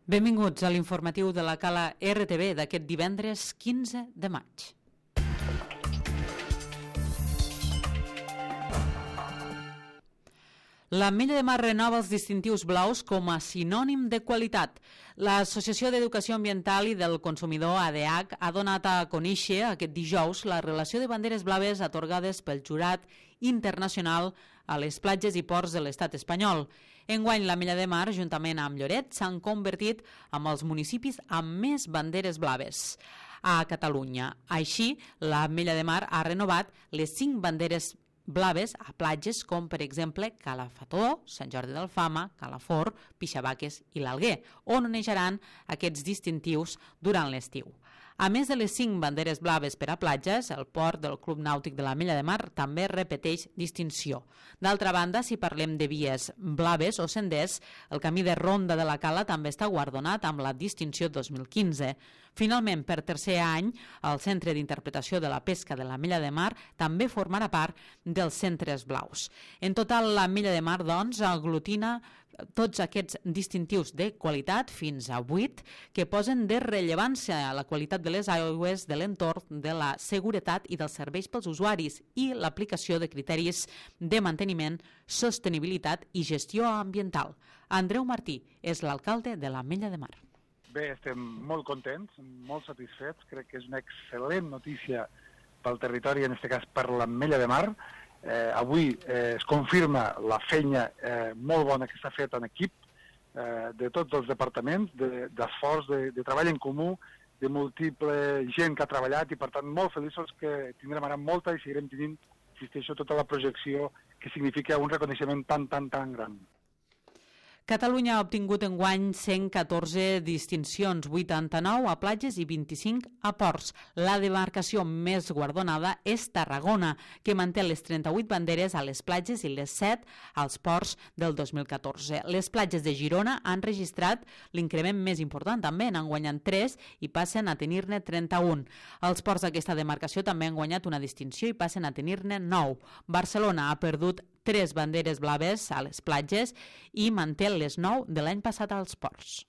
Benvinguts a l'informatiu de la Cala RTV d'aquest divendres 15 de maig. L'Ametlla de Mar renova els distintius blaus com a sinònim de qualitat. L'Associació d'Educació Ambiental i del Consumidor, ADH, ha donat a conèixer aquest dijous la relació de banderes blaves atorgades pel jurat internacional a les platges i ports de l'estat espanyol. Enguany, l'Ametlla de Mar, juntament amb Lloret, s'han convertit en els municipis amb més banderes blaves a Catalunya. Així, l'Ametlla de Mar ha renovat les 5 banderes blaves a platges com, per exemple, Calafató, Sant Jordi d'Alfama, Calafort, Pixabaques i l'Alguer, on onejaran aquests distintius durant l'estiu. A més de les 5 banderes blaves per a platges, el port del Club Nàutic de l'Ametlla de Mar també repeteix distinció. D'altra banda, si parlem de vies blaves o senders, el camí de Ronda de la Cala també està guardonat amb la distinció 2015. Finalment, per tercer any, el Centre d'Interpretació de la Pesca de l'Ametlla de Mar també formarà part dels centres blaus. En total, l'Ametlla de Mar, doncs, aglutina tots aquests distintius de qualitat, fins a 8, que posen de rellevància a la qualitat de les aigües, de l'entorn, de la seguretat i dels serveis pels usuaris i l'aplicació de criteris de manteniment, sostenibilitat i gestió ambiental. Andreu Martí és l'alcalde de l'Ametlla de Mar. Bé, estem molt contents, molt satisfets. Crec que és una excel·lent notícia pel territori, en aquest cas per l'Ametlla de Mar. Avui es confirma la feina molt bona que s'ha fet en equip de tots els departaments, d'esforç, de treball en comú, de múltiple gent que ha treballat i, per tant, molt feliços que tindrem ara molta i seguirem tenint, insisteixo, tota la projecció que significa un reconeixement tan gran. Catalunya ha obtingut enguany 114 distincions, 89 a platges i 25 a ports. La demarcació més guardonada és Tarragona, que manté les 38 banderes a les platges i les 7 als ports del 2014. Les platges de Girona han registrat l'increment més important també, n'han guanyat 3 i passen a tenir-ne 31. Els ports d'aquesta demarcació també han guanyat una distinció i passen a tenir-ne 9. Barcelona ha perdut 3 banderes blaves a les platges i manté les 9 de l'any passat als ports.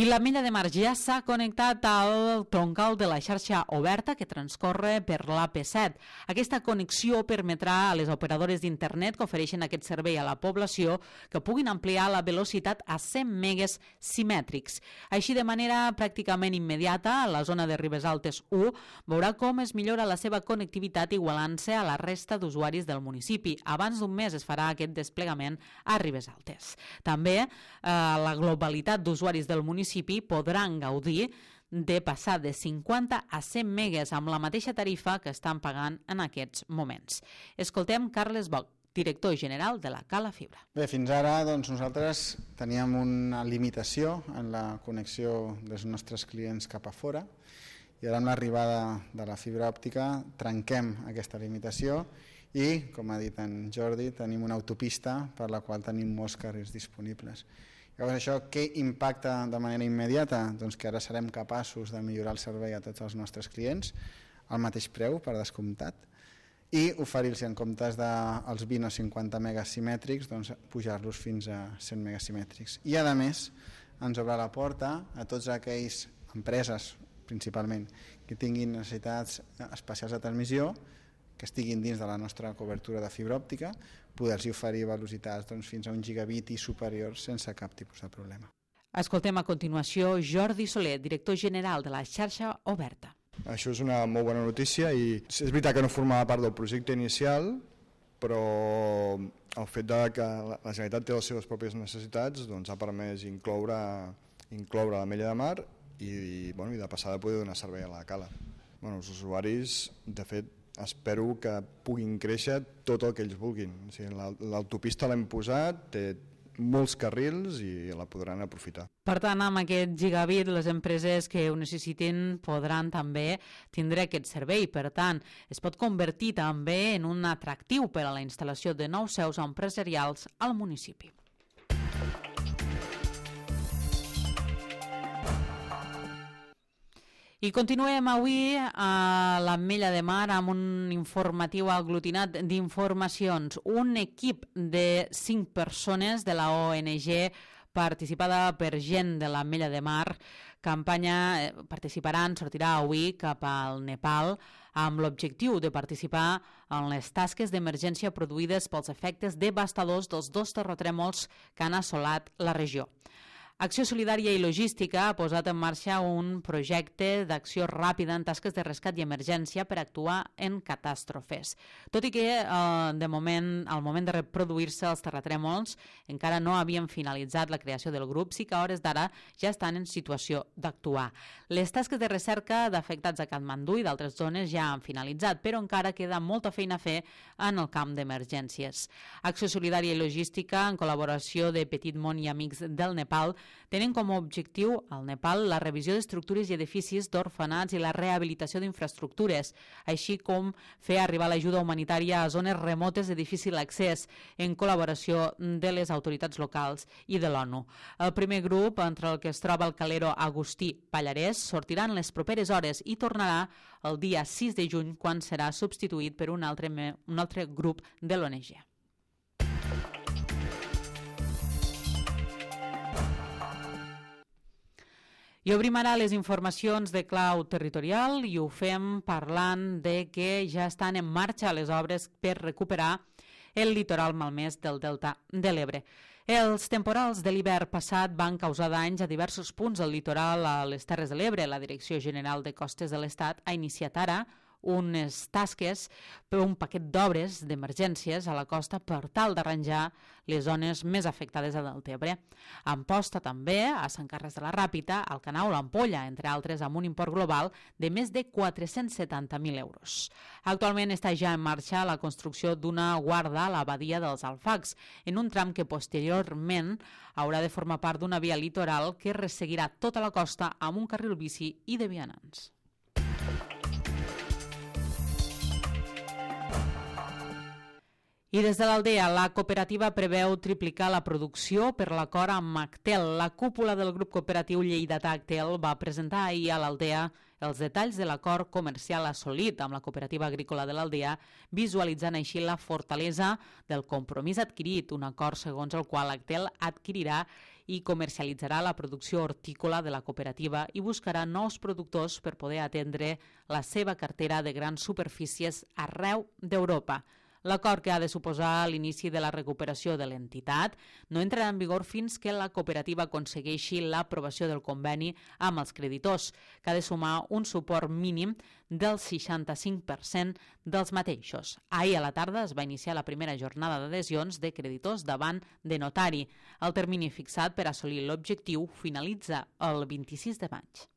I l'Ametlla de Mar ja s'ha connectat al troncal de la xarxa oberta que transcorre per l'AP7. Aquesta connexió permetrà a les operadores d'internet que ofereixen aquest servei a la població que puguin ampliar la velocitat a 100 megas simètrics. Així, de manera pràcticament immediata, la zona de Ribesaltes 1 veurà com es millora la seva connectivitat igualant-se a la resta d'usuaris del municipi. Abans d'un mes es farà aquest desplegament a Ribesaltes. També la globalitat d'usuaris del municipi podran gaudir de passar de 50 a 100 megas amb la mateixa tarifa que estan pagant en aquests moments. Escoltem Carles Boc, director general de la Cala Fibra. Bé, fins ara nosaltres teníem una limitació en la connexió dels nostres clients cap a fora i ara amb l'arribada de la fibra òptica trenquem aquesta limitació i, com ha dit en Jordi, tenim una autopista per la qual tenim molts carrers disponibles. Llavors, això què impacta de manera immediata? Doncs que ara serem capaços de millorar el servei a tots els nostres clients al mateix preu, per descomptat, i oferir-los en comptes dels 20 o 50 megas simètrics, doncs pujar-los fins a 100 megas simètrics. I, a més, ens obre la porta a tots aquells empreses, principalment, que tinguin necessitats especials de transmissió, que estiguin dins de la nostra cobertura de fibra òptica, poder-los oferir velocitats fins a 1 gigabit i superior sense cap tipus de problema. Escoltem a continuació Jordi Soler, director general de la xarxa oberta. Això és una molt bona notícia i és veritat que no formava part del projecte inicial, però el fet que la Generalitat té les seves pròpies necessitats ha permès incloure l'Ametlla de Mar i de passar de poder donar servei a la Cala. Els usuaris, de fet, espero que puguin créixer tot el que ells vulguin. L'autopista l'hem posat, té molts carrils i la podran aprofitar. Per tant, amb aquest gigabit, les empreses que ho necessitin podran també tindre aquest servei. Per tant, es pot convertir també en un atractiu per a la instal·lació de nous seus empresarials al municipi. I continuem avui a l'Ametlla de Mar amb un informatiu aglutinat d'informacions. Un equip de 5 persones de la ONG participada per gent de l'Ametlla de Mar sortirà avui cap al Nepal amb l'objectiu de participar en les tasques d'emergència produïdes pels efectes devastadors dels 2 terratrèmols que han assolat la regió. Acció Solidària i Logística ha posat en marxa un projecte d'acció ràpida en tasques de rescat i emergència per actuar en catàstrofes. Tot i que al moment de reproduir-se els terratrèmols encara no havien finalitzat la creació del grup, sí que a hores d'ara ja estan en situació d'actuar. Les tasques de recerca d'afectats a Katmandú i d'altres zones ja han finalitzat, però encara queda molta feina a fer en el camp d'emergències. Acció Solidària i Logística, en col·laboració de Petit Món i Amics del Nepal, tenen com a objectiu al Nepal la revisió d'estructures i edificis d'orfenats i la rehabilitació d'infraestructures, així com fer arribar l'ajuda humanitària a zones remotes de difícil accés en col·laboració de les autoritats locals i de l'ONU. El primer grup, entre el que es troba el calero Agustí Pallarès, sortirà en les properes hores i tornarà el dia 6 de juny, quan serà substituït per un altre grup de l'ONG. I obrim ara les informacions de clau territorial i ho fem parlant de que ja estan en marxa les obres per recuperar el litoral malmès del Delta de l'Ebre. Els temporals de l'hivern passat van causar danys a diversos punts del litoral a les Terres de l'Ebre. La Direcció General de Costes de l'Estat ha iniciat ara unes tasques per un paquet d'obres d'emergències a la costa per tal d'arranjar les zones més afectades a Deltebre. Amposta també a Sant Carles de la Ràpita, al Canau, l'Ampolla, entre altres, amb un import global de més de 470.000 euros. Actualment està ja en marxa la construcció d'una guarda a la badia dels Alfacs, en un tram que posteriorment haurà de formar part d'una via litoral que resseguirà tota la costa amb un carril bici i de vianants. I des de l'Aldea, la cooperativa preveu triplicar la producció per l'acord amb Actel. La cúpula del grup cooperatiu lleidatà Actel va presentar ahir a l'Aldea els detalls de l'acord comercial assolit amb la cooperativa agrícola de l'Aldea, visualitzant així la fortalesa del compromís adquirit, un acord segons el qual Actel adquirirà i comercialitzarà la producció hortícola de la cooperativa i buscarà nous productors per poder atendre la seva cartera de grans superfícies arreu d'Europa. L'acord, que ha de suposar l'inici de la recuperació de l'entitat, no entrarà en vigor fins que la cooperativa aconsegueixi l'aprovació del conveni amb els creditors, que ha de sumar un suport mínim del 65% dels mateixos. Ahir a la tarda es va iniciar la primera jornada d'adhesions de creditors davant de notari. El termini fixat per assolir l'objectiu finalitza el 26 de maig.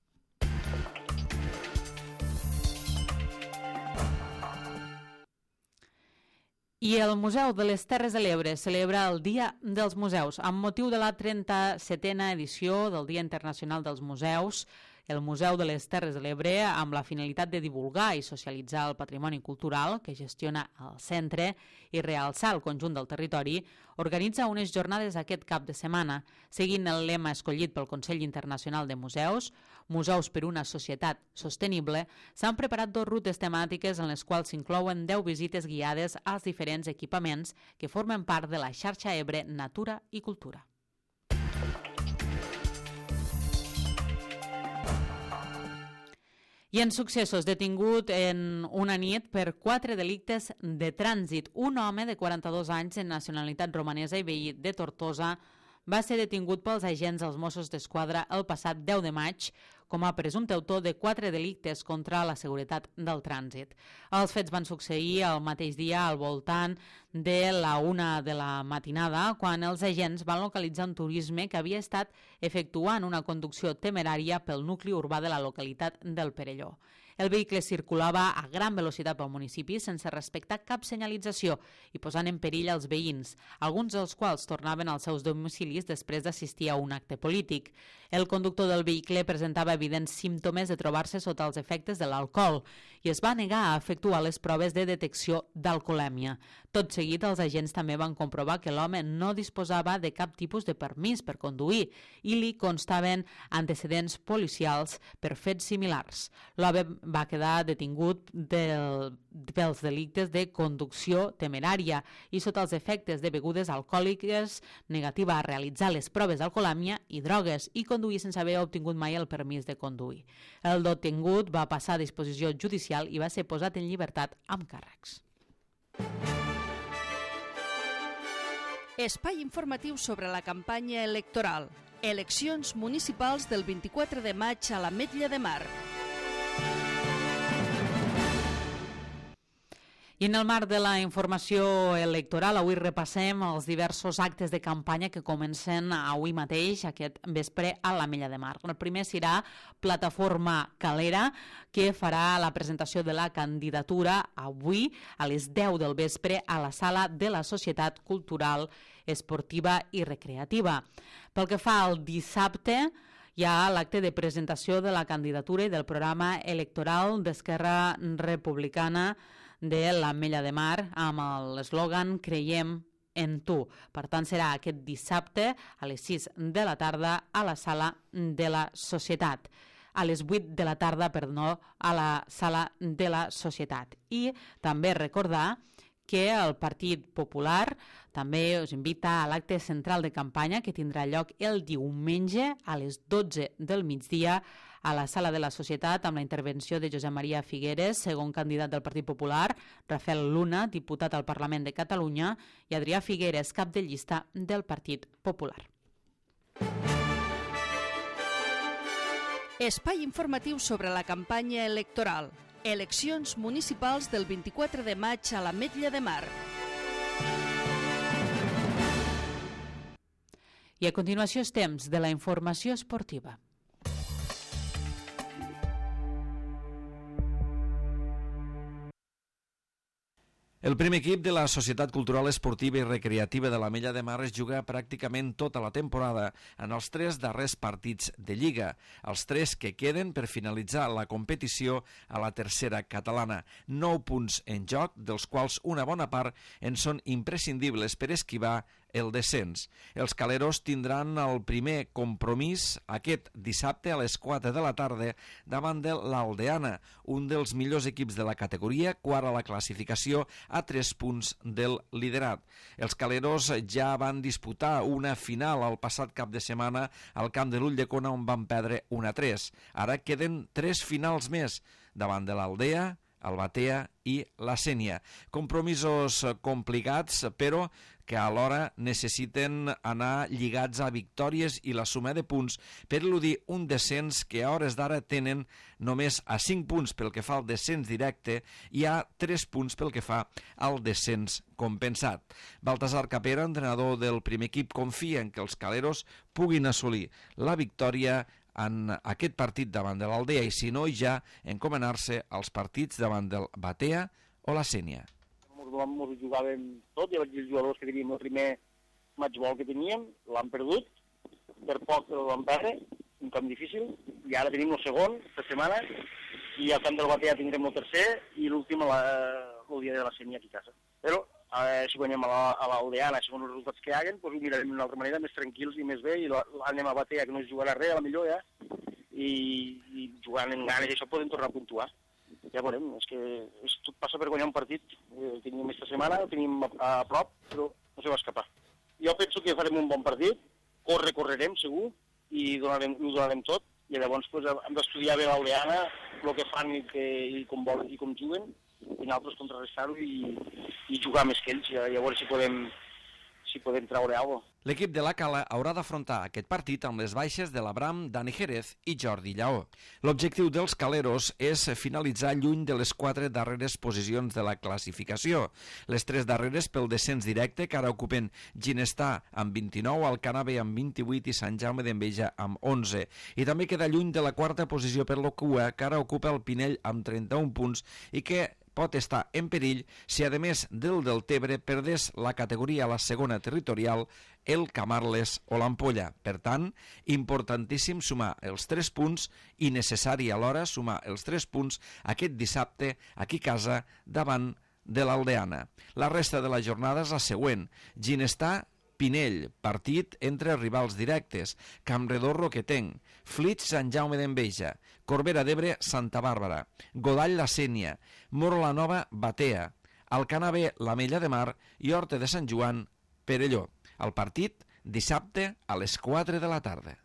I el Museu de les Terres de l'Ebre celebra el Dia dels Museus. Amb motiu de la 37a edició del Dia Internacional dels Museus, el Museu de les Terres de l'Ebre, amb la finalitat de divulgar i socialitzar el patrimoni cultural que gestiona el centre i realçar el conjunt del territori, organitza unes jornades aquest cap de setmana. Seguint el lema escollit pel Consell Internacional de Museus, Museus per una societat sostenible, s'han preparat 2 rutes temàtiques en les quals s'inclouen 10 visites guiades als diferents equipaments que formen part de la xarxa Ebre Natura i Cultura. I en successos, detingut en una nit per 4 delictes de trànsit. Un home de 42 anys de nacionalitat romanesa i veí de Tortosa va ser detingut pels agents dels Mossos d'Esquadra el passat 10 de maig com a presumpte autor de 4 delictes contra la seguretat del trànsit. Els fets van succeir el mateix dia al voltant de la 1 de la matinada, quan els agents van localitzar un turisme que havia estat efectuant una conducció temerària pel nucli urbà de la localitat del Perelló. El vehicle circulava a gran velocitat pel municipi sense respectar cap senyalització i posant en perill els veïns, alguns dels quals tornaven als seus domicilis després d'assistir a un acte polític. El conductor del vehicle presentava evidents símptomes de trobar-se sota els efectes de l'alcohol i es va negar a efectuar les proves de detecció d'alcoholèmia. Tot seguit, els agents també van comprovar que l'home no disposava de cap tipus de permís per conduir i li constaven antecedents policials per fets similars. L'home va quedar detingut pels delictes de conducció temerària i sota els efectes de begudes alcohòliques, negativa a realitzar les proves d'alcoholèmia i drogues i conduir sense haver obtingut mai el permís de conduir. El detingut va passar a disposició judicial i va ser posat en llibertat amb càrrecs. Espai informatiu sobre la campanya electoral. Eleccions municipals del 24 de maig a l'Ametlla de Mar. I en el marc de la informació electoral, avui repassem els diversos actes de campanya que comencen avui mateix, aquest vespre, a l'Ametlla de Mar. El primer serà Plataforma Calera, que farà la presentació de la candidatura avui a les 10 del vespre a la sala de la Societat Cultural, Esportiva i Recreativa. Pel que fa al dissabte, hi ha l'acte de presentació de la candidatura i del programa electoral d'Esquerra Republicana de l'Ametlla de Mar amb l'eslògan Creiem en tu. Per tant, serà aquest dissabte a les 6 de la tarda a la sala de la Societat. A les 8 de la tarda, a la sala de la Societat. I també recordar que el Partit Popular també us invita a l'acte central de campanya que tindrà lloc el diumenge a les 12 del migdia a la sala de la Societat amb la intervenció de Josep Maria Figueres, segon candidat del Partit Popular, Rafael Luna, diputat al Parlament de Catalunya, i Adrià Figueres, cap de llista del Partit Popular. Espai informatiu sobre la campanya electoral. Eleccions municipals del 24 de maig a l'Ametlla de Mar. I a continuació és temps de la informació esportiva. El primer equip de la Societat Cultural Esportiva i Recreativa de l'Ametlla de Mar es juga pràcticament tota la temporada en els 3 darrers partits de Lliga, els 3 que queden per finalitzar la competició a la tercera catalana. 9 punts en joc, dels quals una bona part en són imprescindibles per esquivar el descens. Els caleros tindran el primer compromís aquest dissabte a les 4 de la tarda davant de l'Aldeana, un dels millors equips de la categoria, quart a la classificació a 3 punts del liderat. Els caleros ja van disputar una final el passat cap de setmana al camp de l'Ulldecona on van perdre 1-3. Ara queden 3 finals més davant de l'Aldea, el Batea i la Sénia. Compromisos complicats, però que alhora necessiten anar lligats a victòries i la suma de punts per eludir un descens que a hores d'ara tenen només a 5 punts pel que fa al descens directe i a 3 punts pel que fa al descens compensat. Baltasar Capera, entrenador del primer equip, confia en que els caleros puguin assolir la victòria en aquest partit davant de l'Aldea i, si no, ja encomanar-se als partits davant del Batea o la Sénia. Ens jugàvem tot, i els jugadors que teníem el primer matchball que teníem l'han perdut, per poc el van perdre, un camp difícil, i ara tenim el segon, per setmana, i al camp del Batea tindrem el tercer i l'últim el dia de la Sénia aquí a casa. Però si guanyem a l'Aldeana, segons els resultats que haguen, doncs ho mirarem d'una altra manera, més tranquils i més bé, i anem a Batea, que no es jugarà res, a la millor ja, i jugant en ganes, i això podem tornar a puntuar. Ja veurem, és que tot passa per guanyar un partit. Tenim aquesta setmana, el tenim a prop, però no se va escapar. Jo penso que farem un bon partit, correrem segur, i ho donarem tot, i llavors hem d'estudiar bé l'Aldeana, el que fan i com juguen, i nosaltres contrarrestar-ho i jugar més que ells, i a veure si podem treure alguna cosa. L'equip de la Cala haurà d'afrontar aquest partit amb les baixes de l'Abram, Dani Jerez i Jordi Lleó. L'objectiu dels caleros és finalitzar lluny de les 4 darreres posicions de la classificació. Les 3 darreres pel descens directe, que ara ocupen Ginestar amb 29, Alcanar B amb 28 i Sant Jaume d'Enveja amb 11. I també queda lluny de la 4a posició per la cua, que ara ocupa el Pinell amb 31 punts i que pot estar en perill si, a més del Deltebre, perdés la categoria a la segona territorial el Camarles o l'Ampolla. Per tant, importantíssim sumar els 3 punts i necessari alhora sumar els 3 punts aquest dissabte aquí a casa davant de l'Aldeana. La resta de la jornada és la següent. Ginestar, Pinell, partit entre rivals directes, Campredó, Roquetenc, Flix, Sant Jaume d'Enveja, Corbera d'Ebre, Santa Bàrbara, Godall, La Sénia, Moro la Nova, Batea, Alcanar B, l'Ametlla de Mar i Horta de Sant Joan, Perelló. El partit dissabte a les 4 de la tarda.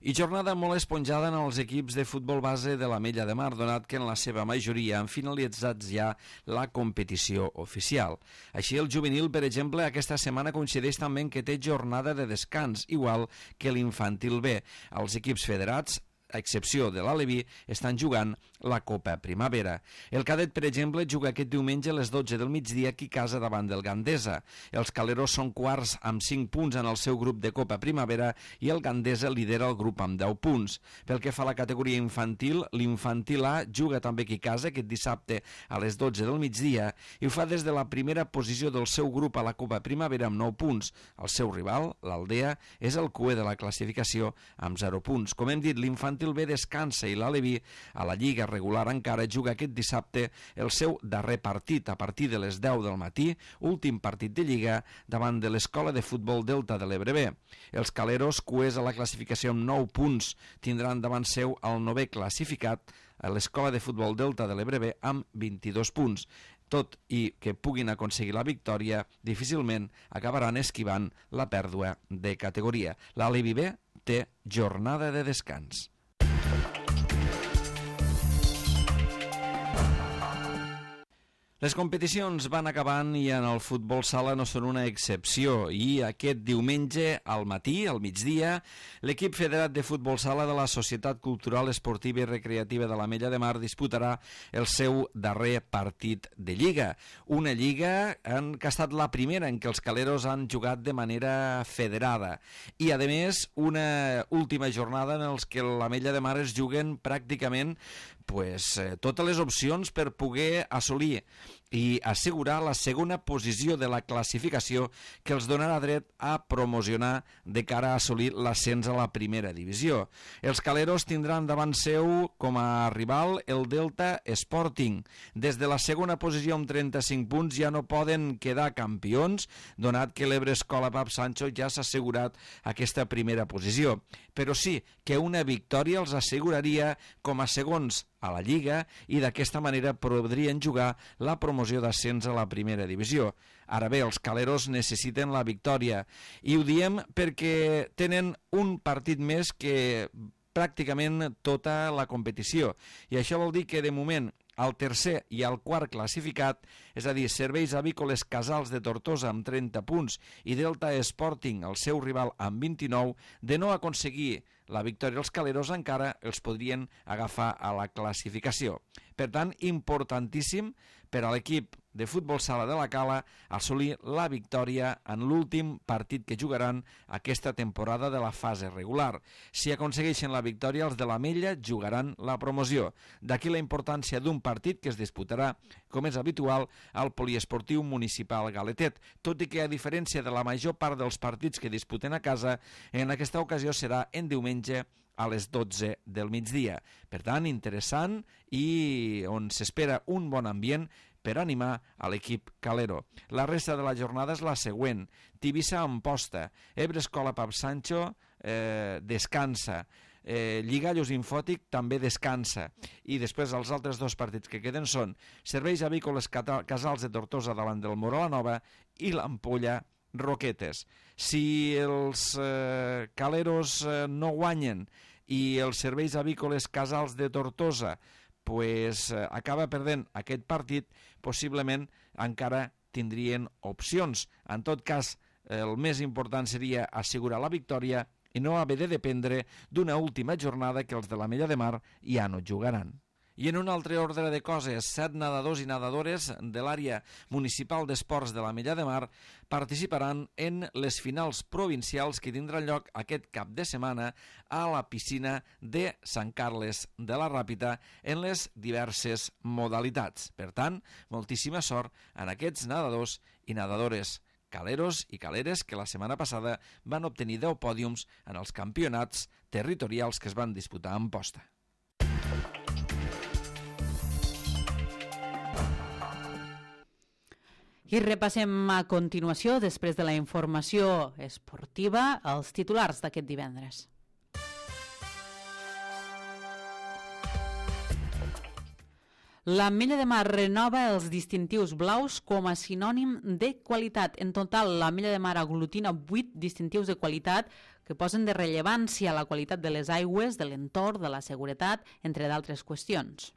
I jornada molt esponjada en els equips de futbol base de l'Ametlla de Mar, donat que en la seva majoria han finalitzat ja la competició oficial. Així, el juvenil, per exemple, aquesta setmana coincideix també en que té jornada de descans, igual que l'infantil B. Els equips federats, a excepció de l'Aleví, estan jugant la Copa Primavera. El cadet, per exemple, juga aquest diumenge a les 12 del migdia aquí a casa davant del Gandesa. Els caleros són quarts amb 5 punts en el seu grup de Copa Primavera i el Gandesa lidera el grup amb 10 punts. Pel que fa a la categoria infantil, l'Infantil A juga també aquí a casa aquest dissabte a les 12 del migdia i ho fa des de la primera posició del seu grup a la Copa Primavera amb 9 punts. El seu rival, l'Aldea, és el cuer de la classificació amb 0 punts. Com hem dit, l'Infantil B descansa i l'Aleví a la Lliga regular encara juga aquest dissabte el seu darrer partit a partir de les 10 del matí, últim partit de Lliga davant de l'Escola de Futbol Delta de l'Ebre B. Els caleros, cuers a la classificació amb 9 punts, tindran davant seu el 9è classificat a l'Escola de Futbol Delta de l'Ebre B amb 22 punts. Tot i que puguin aconseguir la victòria, difícilment acabaran esquivant la pèrdua de categoria. L'Aleví B té jornada de descans. Les competicions van acabant i en el futbol sala no són una excepció i aquest diumenge al matí, al migdia, l'equip federat de futbol sala de la Societat Cultural, Esportiva i Recreativa de l'Ametlla de Mar disputarà el seu darrer partit de Lliga. Una Lliga que ha estat la primera en què els caleros han jugat de manera federada i, a més, una última jornada en els que l'Ametlla de Mar es juguen pràcticament totes les opcions per poder assolir i assegurar la segona posició de la classificació que els donarà dret a promocionar de cara a assolir l'ascens a la primera divisió. Els caleros tindran davant seu com a rival el Delta Sporting. Des de la segona posició amb 35 punts ja no poden quedar campions, donat que l'Ebre Escola Pap Sancho ja s'ha assegurat aquesta primera posició. Però sí que una victòria els asseguraria com a segons a la Lliga i d'aquesta manera podrien jugar la promoció d'ascens a la primera divisió. Ara bé, els caleros necessiten la victòria i ho diem perquè tenen un partit més que pràcticament tota la competició i això vol dir que de moment el tercer i el quart classificat, és a dir, Serveis Avícoles Casals de Tortosa amb 30 punts i Delta Sporting, el seu rival, amb 29, de no aconseguir la victòria els caleros encara els podrien agafar a la classificació. Per tant, importantíssim per a l'equip de futbol sala de la Cala assolir la victòria en l'últim partit que jugaran aquesta temporada de la fase regular. Si aconsegueixen la victòria, els de l'Ametlla jugaran la promoció. D'aquí la importància d'un partit que es disputarà, com és habitual, al Poliesportiu Municipal Galetet, tot i que, a diferència de la major part dels partits que disputen a casa, en aquesta ocasió serà en diumenge a les 12 del migdia. Per tant, interessant i on s'espera un bon ambient per animar a l'equip calero. La resta de la jornada és la següent. Tivissa-Amposta, Ebre Escola Pap Sancho descansa, Lligallos Infòtic també descansa i després els altres dos partits que queden són Serveis Avícoles Casals de Tortosa davant del Moro la Nova i l'Ampolla Roquetes. Si els caleros no guanyen i els Serveis Avícoles Casals de Tortosa acaba perdent aquest partit, possiblement encara tindrien opcions. En tot cas, el més important seria assegurar la victòria i no haver de dependre d'una última jornada que els de l'Ametlla de Mar ja no jugaran. I en un altre ordre de coses, 7 nedadors i nedadores de l'àrea municipal d'esports de l'Ametlla de Mar participaran en les finals provincials que tindran lloc aquest cap de setmana a la piscina de Sant Carles de la Ràpita en les diverses modalitats. Per tant, moltíssima sort en aquests nedadors i nedadores caleros i caleres que la setmana passada van obtenir 10 pòdiums en els campionats territorials que es van disputar a Amposta. I repassem a continuació, després de la informació esportiva, els titulars d'aquest divendres. L'Ametlla de Mar renova els distintius blaus com a sinònim de qualitat. En total, l'Ametlla de Mar aglutina 8 distintius de qualitat que posen de rellevància la qualitat de les aigües, de l'entorn, de la seguretat, entre d'altres qüestions.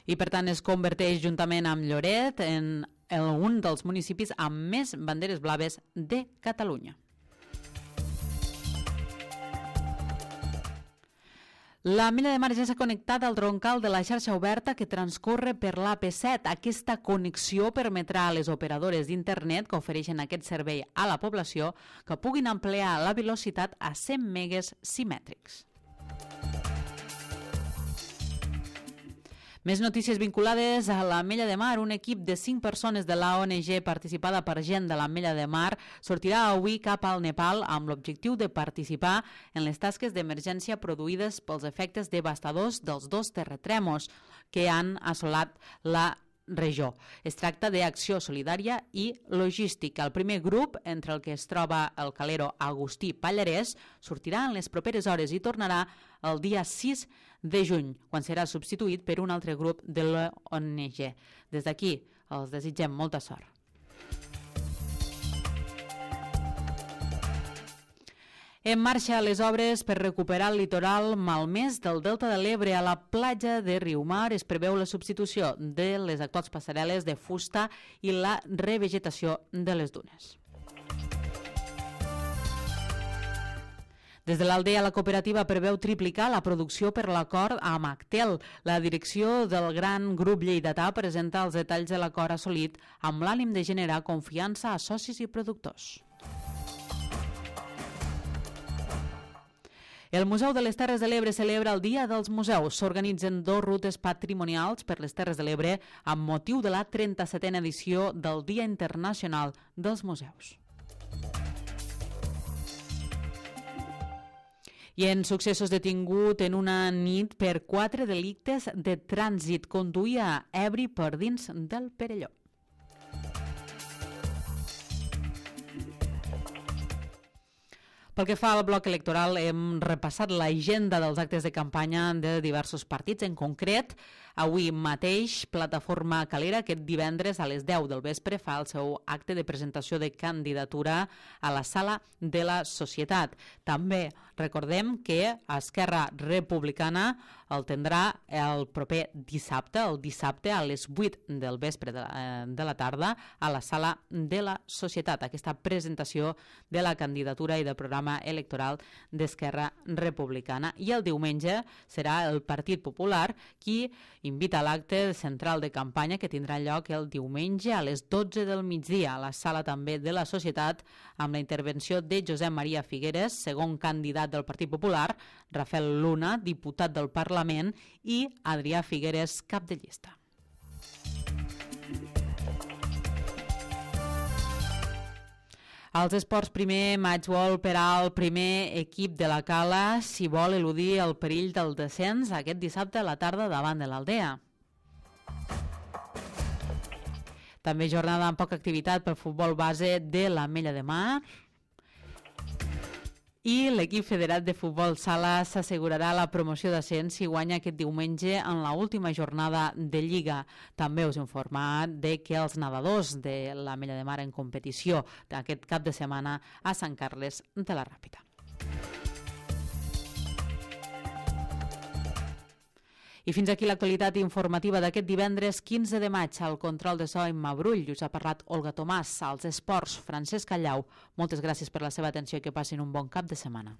I per tant es converteix juntament amb Lloret en un dels municipis amb més banderes blaves de Catalunya. L'Ametlla de Mar ja s'ha connectat al troncal de la xarxa oberta que transcorre per l'AP7. Aquesta connexió permetrà a les operadores d'internet que ofereixen aquest servei a la població que puguin ampliar la velocitat a 100 megues simètrics. Més notícies vinculades a l'Ametlla de Mar. Un equip de 5 persones de l'ONG participada per gent de l'Ametlla de Mar sortirà avui cap al Nepal amb l'objectiu de participar en les tasques d'emergència produïdes pels efectes devastadors dels 2 terratrèmols que han assolat la regió. Es tracta d'acció solidària i logística. El primer grup, entre el que es troba el calero Agustí Pallarès, sortirà en les properes hores i tornarà el dia 6 de juny, quan serà substituït per un altre grup de l'ONG. Des d'aquí els desitgem molta sort. En marxa les obres per recuperar el litoral malmès del Delta de l'Ebre. A la platja de Riumar es preveu la substitució de les actuals passarel·les de fusta i la revegetació de les dunes. Des de l'Aldea, la cooperativa preveu triplicar la producció per l'acord amb Actel. La direcció del gran grup lleidatà presenta els detalls de l'acord assolit amb l'ànim de generar confiança a socis i productors. El Museu de les Terres de l'Ebre celebra el Dia dels Museus. S'organitzen 2 rutes patrimonials per les Terres de l'Ebre amb motiu de la 37a edició del Dia Internacional dels Museus. I en successos, detingut en una nit per 4 delictes de trànsit. Conduïa ebri per dins del Perelló. Pel que fa al bloc electoral, hem repassat l'agenda dels actes de campanya de diversos partits. En concret, avui mateix, Plataforma Calera, aquest divendres a les 10 del vespre, fa el seu acte de presentació de candidatura a la Sala de la Societat. També recordem que Esquerra Republicana el tindrà el proper dissabte, a les 8 del vespre de la tarda, a la Sala de la Societat. Aquesta presentació de la candidatura i del programa electoral d'Esquerra Republicana. I el diumenge serà el Partit Popular qui invita a l'acte central de campanya que tindrà lloc el diumenge a les 12 del migdia a la Sala també de la Societat, amb la intervenció de Josep Maria Figueres, segon candidat del Partit Popular, Rafael Luna, diputat del Parlament, i Adrià Figueres, cap de llista. Als esports, primer matchball per al primer equip de la Cala si vol eludir el perill del descens aquest dissabte a la tarda davant de l'Aldea. També jornada amb poca activitat pel futbol base de l'Ametlla de Mar. I l'equip federat de futbol sala s'assegurarà la promoció d'ascens si guanya aquest diumenge en l'última jornada de Lliga. També us he informat de que els nedadors de l'Ametlla de Mar en competició d'aquest cap de setmana a Sant Carles de la Ràpita. I fins aquí l'actualitat informativa d'aquest divendres 15 de maig. Al control de so Imma Brull, us ha parlat Olga Tomàs, als esports Francesc Callau. Moltes gràcies per la seva atenció i que passin un bon cap de setmana.